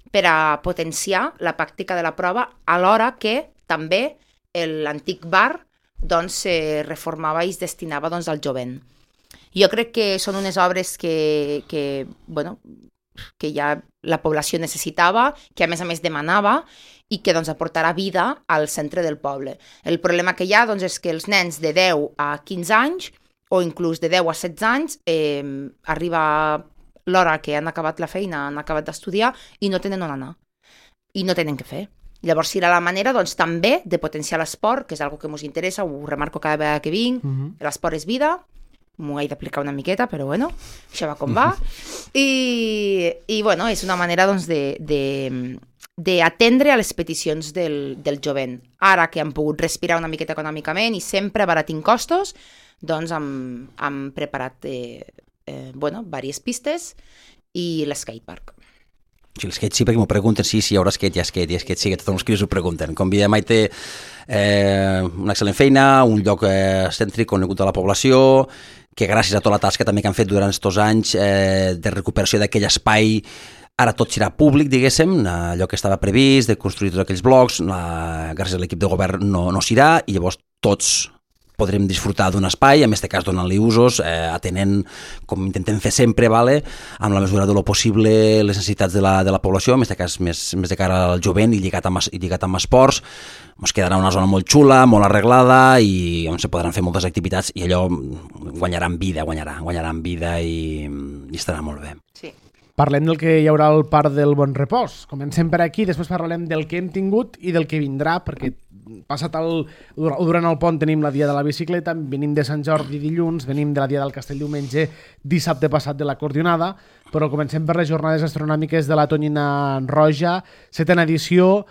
per a potenciar la pràctica de la prova, alhora que també l'antic bar doncs, reformava i es destinava doncs, al jovent. Jo crec que són unes obres que ja la població necessitava, que a més demanava i que doncs, aportarà vida al centre del poble. El problema que hi ha doncs, és que els nens de 10 a 15 anys o inclús de 10 a 16 anys arriba l'hora que han acabat la feina, han acabat d'estudiar i no tenen on anar i no tenen què fer. Llavors serà la manera doncs, també de potenciar l'esport, que és una que ens interessa, ho remarco cada vegada que vinc, l'esport és vida, m'ho he d'aplicar una miqueta, però bueno, això va com va. I bueno, és una manera doncs, d'atendre a les peticions del jovent. Ara que han pogut respirar una miqueta econòmicament i sempre abaratint costos, doncs hem preparat diverses pistes i l'skatepark. Sí, l'skate sí, perquè m'ho pregunten si hi haurà skate, i skate sí, que tots els cris ho pregunten. Com Via Maite, una excel·lent feina, un lloc cèntric conegut a la població, que gràcies a tota la tasca també que han fet durant aquests anys de recuperació d'aquell espai, ara tot serà públic, diguéssim, allò que estava previst, de construir tots aquells blocs, gràcies a l'equip de govern no serà, i llavors tots podrem disfrutar d'un espai, en aquest cas donant-li usos, atenent, com intentem fer sempre, amb la mesura de lo possible les necessitats de la població, en aquest cas més de cara al jovent i lligat amb esports. Ens quedarà una zona molt xula, molt arreglada i on se podran fer moltes activitats i allò guanyarà en vida i estarà molt bé. Sí. Parlem del que hi haurà al Parc del Bon Repòs. Comencem per aquí, després parlarem del que hem tingut i del que vindrà, perquè durant el pont tenim la Dia de la Bicicleta, venim de Sant Jordi dilluns, venim de la Dia del Castell diumenge, dissabte passat de la Cordionada, però comencem per les jornades astronòmiques de la Tonyina Roja, 7ª edició,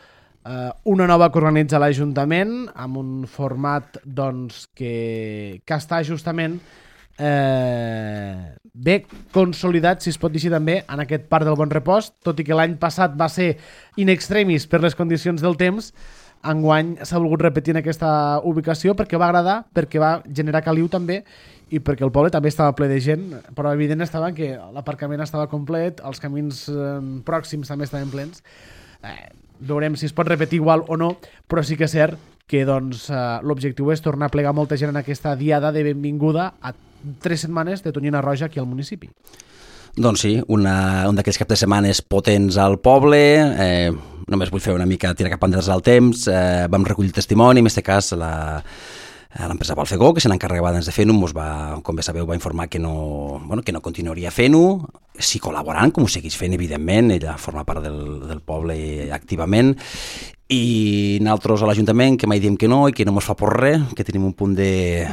una nova que organitza l'Ajuntament, amb un format doncs, que està justament bé consolidat, si es pot dir així també, en aquest Parc del Bon Repòs, tot i que l'any passat va ser in extremis per les condicions del temps. Enguany s'ha volgut repetir en aquesta ubicació perquè va agradar, perquè va generar caliu també i perquè el poble també estava ple de gent, però evident estava que l'aparcament estava complet, els camins pròxims també estaven plens. Veurem si es pot repetir igual o no, però sí que és cert que doncs, l'objectiu és tornar a plegar molta gent en aquesta diada de benvinguda a 3 setmanes de Tonyina Roja aquí al municipi. Doncs sí, un d'aquells caps de setmanes potents al poble, només vull fer una mica tirar cap enrere al temps, vam recollir testimoni, en aquest cas l'empresa Balfegó, que se n'encarregava abans de fer-ho, ens va, com bé sabeu, va informar que no continuaria fent-ho, sí col·laborant, com ho segueix fent, evidentment, ella forma part del poble activament, i nosaltres a l'Ajuntament que mai diem que no i que no ens fa por res, que tenim un punt de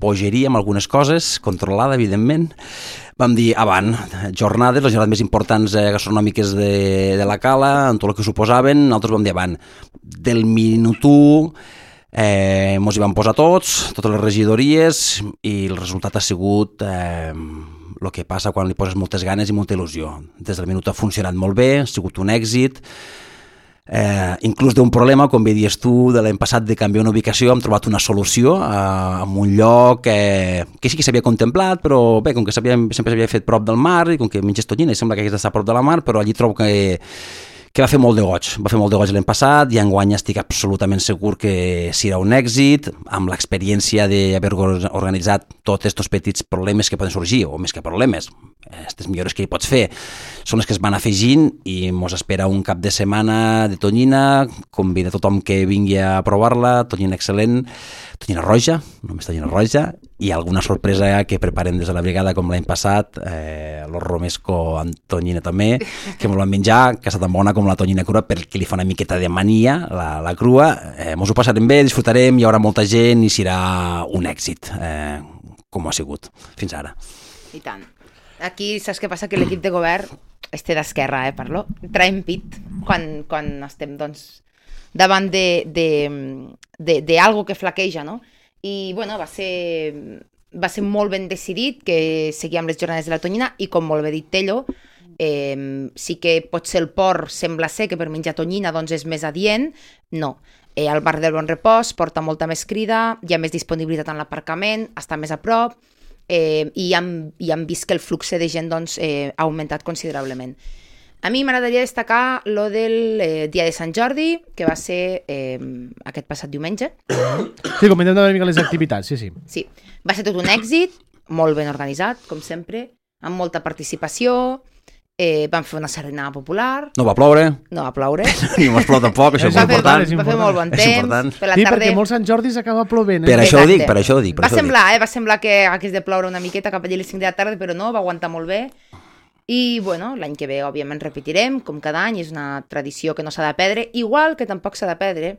bogeria amb algunes coses, controlada, evidentment. Vam dir, avant, les jornades més importants gastronòmiques de la Cala, en tot el que suposaven, nosaltres vam dir, avant, del minut 1, ens hi vam posar totes les regidories, i el resultat ha sigut el que passa quan li poses moltes ganes i molta il·lusió. Des del minut ha funcionat molt bé, ha sigut un èxit, inclús d'un problema, com bé dius tu, de l'any passat de canviar una ubicació, hem trobat una solució en un lloc que sí que s'havia contemplat, però bé, com que sempre s'havia fet prop del mar i com que menges Tonyina i sembla que hagués d'estar prop de la mar, però allí trobo que va fer molt de goig l'any passat i enguany estic absolutament segur que serà un èxit, amb l'experiència d'haver organitzat tots aquests petits problemes que poden sorgir, o més que problemes, aquestes millores que hi pots fer són les que es van afegint i mos espera un cap de setmana de tonyina, convida tothom que vingui a provar-la, tonyina excel·lent, tonyina roja, només tonyina roja, i alguna sorpresa que preparem des de la brigada com l'any passat, los romesco amb tonyina també, que mos van menjar, que està tan bona com la tonyina crua perquè li fa una miqueta de mania, la crua, mos ho passarem bé, disfrutarem, hi haurà molta gent i serà un èxit, com ha sigut fins ara. I tant. Aquí saps què passa? Que l'equip de govern té d'esquerra, parlo. Traiem pit quan estem, doncs, davant d'algo que flaqueja, no? I, bueno, va ser molt ben decidit que seguíem les jornades de la tonyina i, com molt bé dit Tello, sí que potser el port sembla ser que per menjar tonyina doncs és més adient. No. El bar del Bon Repòs porta molta més crida, hi ha més disponibilitat en l'aparcament, està més a prop, i hem vist que el flux de gent doncs, ha augmentat considerablement. A mi m'agradaria destacar lo del dia de Sant Jordi, que va ser aquest passat diumenge. Sí, comentem una mica les activitats, sí. Sí, va ser tot un èxit, molt ben organitzat, com sempre, amb molta participació. Vam fer una sardinada popular. No va ploure. No va ploure. I no es plou tampoc, això és molt important. Va fer molt bon temps. Sí, perquè molts Sant Jordis acaba plovent. Per això ho dic. Va semblar que hagués de ploure una miqueta cap allà a les 5 de la tarda, però no, va aguantar molt bé. I, bueno, l'any que ve, òbviament, repetirem, com cada any, és una tradició que no s'ha de perdre, igual que tampoc s'ha de perdre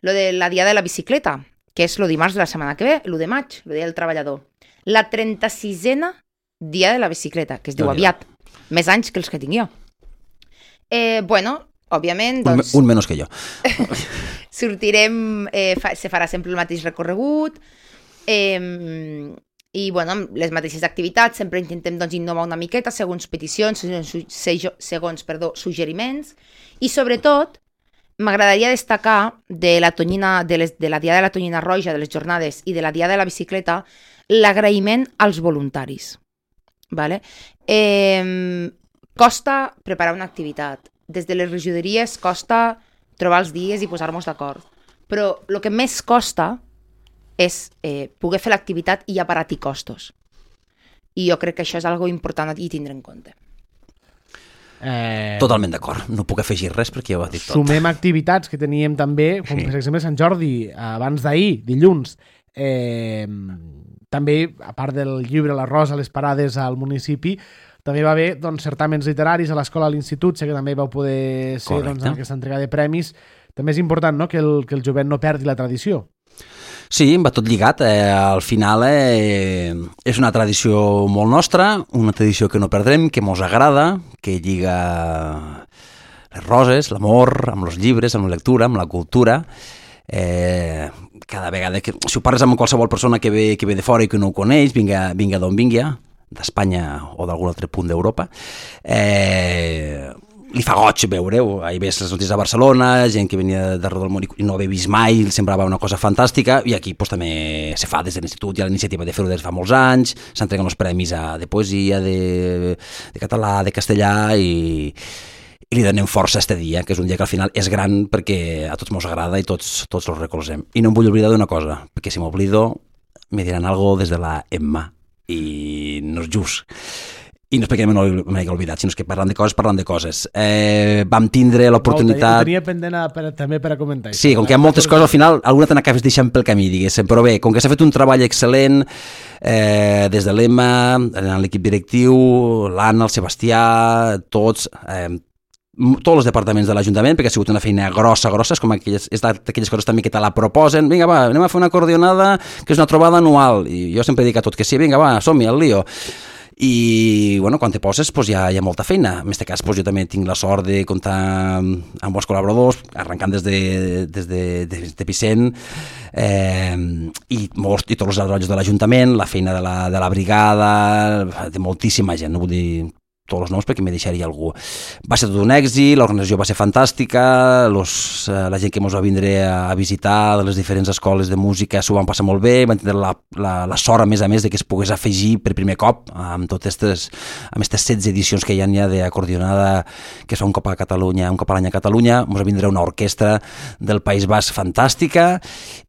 lo de la Diada de la Bicicleta, que és lo dimarts de la setmana que ve, l'1 de maig, el Dia del Treballador. La 36a Dia de la Bicicleta, que es diu aviat. Més anys que els que tinc jo. Bueno, òbviament... Doncs, un menys que jo. Sortirem, se farà sempre el mateix recorregut, i, bueno, amb les mateixes activitats, sempre intentem doncs, innovar una miqueta segons peticions, segons suggeriments, i sobretot m'agradaria destacar de la Diada de la Tonyina Roja, de les jornades, i de la Diada de la Bicicleta, l'agraïment als voluntaris. Vale? Costa preparar una activitat. Des de les regidories costa trobar els dies i posar-nos d'acord. Però el que més costa és poder fer l'activitat i abaratir costos. I jo crec que això és algo important i tindre en compte. Totalment d'acord. No puc afegir res perquè ja ho ha dit tot. Sumem activitats que teníem també, com per exemple Sant Jordi, abans d'ahir, dilluns, també, a part del llibre La Rosa, les parades al municipi, també va haver doncs, certàmens literaris a l'escola, a l'institut, sé que també vau poder ser doncs, en aquesta entrega de premis. També és important, no?, que el jovent no perdi la tradició. Sí, va tot lligat. Al final és una tradició molt nostra, una tradició que no perdrem, que mos agrada, que lliga les roses, l'amor, amb els llibres, amb la lectura, amb la cultura. Cada vegada que si ho parles amb qualsevol persona que ve de fora i que no ho coneix, vinga d'on vingui, d'Espanya o d'algun altre punt d'Europa, li fa goig veure-ho. Ahir ves les notícies de Barcelona, gent que venia d'arreu del món i no havia vist mai, semblava una cosa fantàstica, i aquí pues, també se fa des de l'institut, hi ha la iniciativa de fer-ho des de fa molts anys, s'entreguen els premis de poesia, de català, de castellà, i li donem força a este dia, que és un dia que al final és gran perquè a tots mos agrada i tots els recolzem. I no em vull oblidar d'una cosa, perquè si m'oblido me diran algo des de la Emma, i no és just. I no és perquè me n'hagi oblidat, sinó que parlant de coses. Vam tindre l'oportunitat... Ho tenia pendent també per a comentar. Sí, com que hi ha moltes coses, al final alguna te n'acabes deixant pel camí, diguéssim. Però bé, com que s'ha fet un treball excel·lent des de l'Emma, l'equip directiu, l'Anna, el Sebastià, tots els departaments de l'Ajuntament, perquè ha sigut una feina grossa, és com és d'aquelles coses també que te la proposen, vinga va, anem a fer una coordinada que és una trobada anual, i jo sempre dic a tot que sí, vinga va, som-hi, al lío. I bueno, quan te poses pues, hi ha molta feina. En aquest cas pues, jo també tinc la sort de comptar amb bons col·laboradors, arrencant des de Vicent, i tots els treballadors de l'Ajuntament, la feina de la brigada, de moltíssima gent, no vull dir tots els noms perquè me deixaria algú. Va ser tot un èxit, l'organització va ser fantàstica, la gent que ens va vindre a visitar de les diferents escoles de música s'ho van passar molt bé, van tenir la sort a més de que es pogués afegir per primer cop amb aquestes 16 edicions que hi ha d'acordionada que es fa un cop a Catalunya, un cop a l'any a Catalunya. Ens va vindre una orquestra del País Basc fantàstica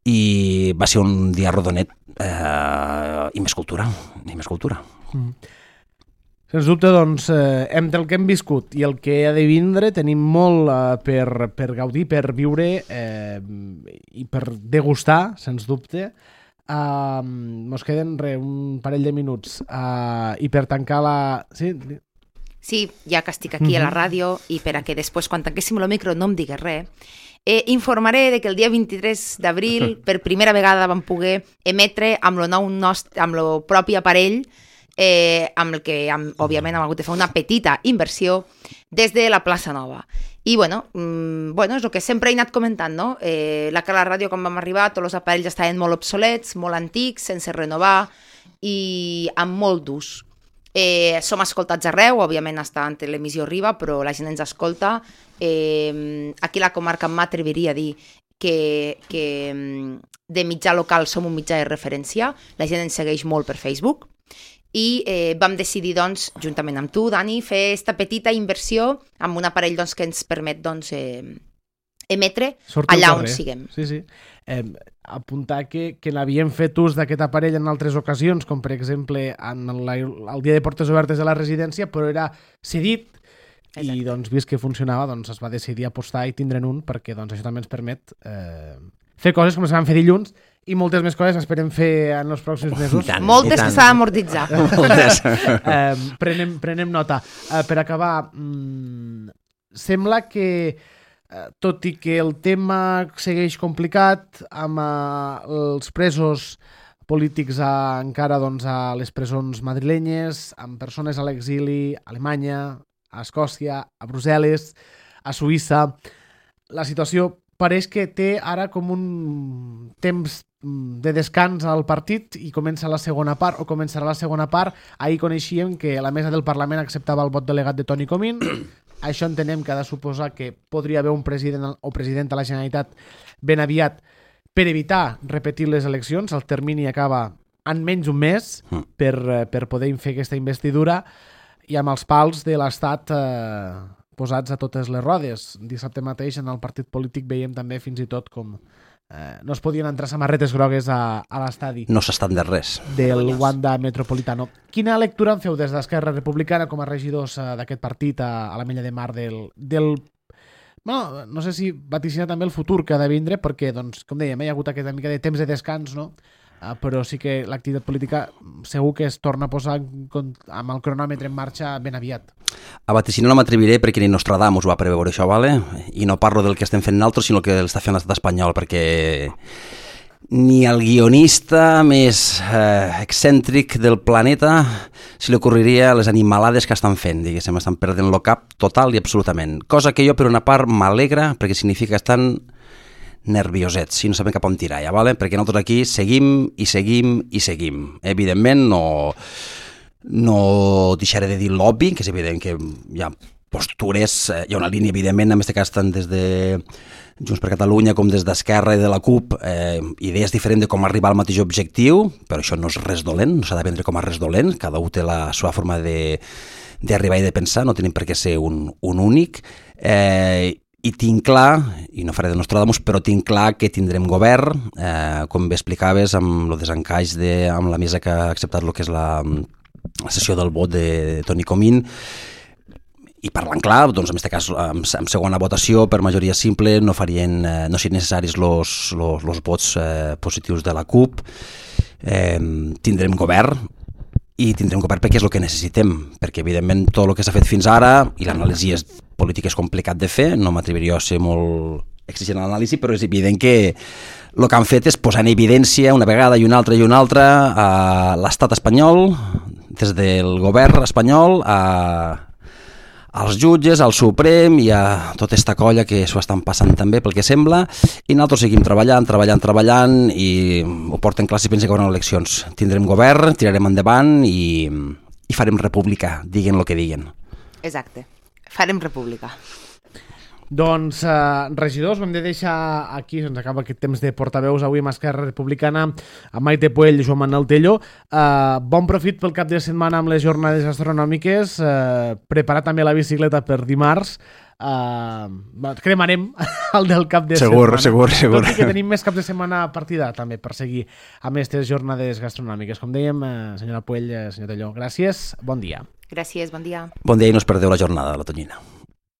i va ser un dia rodonet i més cultura. Sens dubte, doncs, entre el que hem viscut i el que ha de vindre, tenim molt per gaudir, per viure i per degustar, sens dubte. Mos queden un parell de minuts i per tancar la... Sí, ja que estic aquí a la ràdio i per a que després, quan tanquéssim el micro, no em digues res, informaré de que el dia 23 d'abril per primera vegada vam poder emetre amb el propi aparell, amb el que, òbviament, hem hagut de fer una petita inversió des de la plaça Nova. I, bueno, és el que sempre he anat comentant, no? La ràdio, quan vam arribar, tots els aparells estaven molt obsolets, molt antics, sense renovar i amb molt d'ús. Som escoltats arreu, òbviament està en televisió Riba, però la gent ens escolta. Aquí a la comarca m'atreviria a dir que de mitjà local som un mitjà de referència, la gent ens segueix molt per Facebook i vam decidir, doncs, juntament amb tu, Dani, fer aquesta petita inversió amb un aparell doncs, que ens permet doncs, emetre allà on siguem. Sí, sí. Apuntar que n'havíem fet ús d'aquest aparell en altres ocasions, com per exemple el dia de portes obertes de la residència, però era cedit. Exacte. I doncs, vist que funcionava, doncs es va decidir apostar i tindre'n un, perquè doncs, això també ens permet fer coses com es van fer dilluns i moltes més coses esperem fer en els pròxims mesos. Moltes que s'ha d'amortitzar. Prenem nota. Per acabar, sembla que tot i que el tema segueix complicat amb els presos polítics encara doncs, a les presons madrilenyes, amb persones a l'exili a Alemanya, a Escòcia, a Brussel·les, a Suïssa, la situació pareix que té ara com un temps de descans al partit i comença la segona part, o començarà la segona part. Ahir coneixíem que la mesa del Parlament acceptava el vot delegat de Toni Comín. Això entenem que ha de suposar que podria haver un president o presidenta de la Generalitat ben aviat per evitar repetir les eleccions. El termini acaba en menys d'un mes per poder fer aquesta investidura i amb els pals de l'Estat posats a totes les rodes. Dissabte mateix en el partit polític veiem també fins i tot com no es podien entrar samarretes grogues a l'estadi. No s'estan de res. Del Wanda Metropolitano. Quina lectura en feu des d'Esquerra Republicana com a regidors d'aquest partit a l'Ametlla de Mar no sé si vaticinar també el futur que ha de vindre, perquè, doncs, com dèiem, hi ha hagut aquesta mica de temps de descans, no? Però sí que l'activitat política segur que es torna a posar amb el cronòmetre en marxa ben aviat. A vaticinar no m'atreviré perquè ni Nostradamus va preveure això, vale? I no parlo del que estem fent nosaltres, sinó el que l'està fent l'estat espanyol, perquè ni el guionista més excèntric del planeta se li ocorreria les animalades que estan fent, diguéssim, estan perdent el cap total i absolutament. Cosa que jo, per una part, m'alegra, perquè significa que estan nerviosets, si no sabem cap on tirar, ja, vale? Perquè nosaltres aquí seguim i seguim i seguim. Evidentment, no deixaré de dir l'obvi, que és evident que hi ha postures, hi ha una línia, evidentment, en aquest cas tant des de Junts per Catalunya com des d'Esquerra i de la CUP, idees diferents de com arribar al mateix objectiu, però això no és res dolent, no s'ha de vendre com a res dolent, cada un té la seva forma d'arribar i de pensar, no tenim per què ser un únic, i tinc clar, i no faré de Nostradamus, però tinc clar que tindrem govern, com bé explicaves, amb el desencaix amb la mesa que ha acceptat el que és la sessió del vot de Toni Comín, i parlant clar, doncs en aquest cas, en segona votació, per majoria simple, no serien necessaris els vots positius de la CUP. Tindrem govern, i tindrem govern perquè és el que necessitem, perquè evidentment tot el que s'ha fet fins ara, i l'anàlisi política és complicat de fer, no m'atreviria a ser molt exigent a l'anàlisi, però és evident que el que han fet és posar en evidència una vegada i una altra a l'estat espanyol, des del govern espanyol als jutges, al Suprem i a tota aquesta colla que s'ho estan passant també pel que sembla, i nosaltres seguim treballant i ho porten clar si pensen que hi haurà eleccions. Tindrem govern, tirarem endavant i farem república, diguen el que diguen. Exacte, farem república. Doncs, regidors, ho hem de deixar aquí, se'ns acaba aquest temps de portaveus avui amb Esquerra Republicana, amb Maite Puell i Joan Manuel Tello. Bon profit pel cap de setmana amb les jornades gastronòmiques, preparar també la bicicleta per dimarts, cremarem el del cap de setmana. Segur. Tot i que tenim més cap de setmana a partida també per seguir amb aquestes jornades gastronòmiques. Com dèiem, senyora Puell, senyor Tello, gràcies, bon dia. Gràcies, bon dia. Bon dia i no us perdeu la jornada de la Tonyina.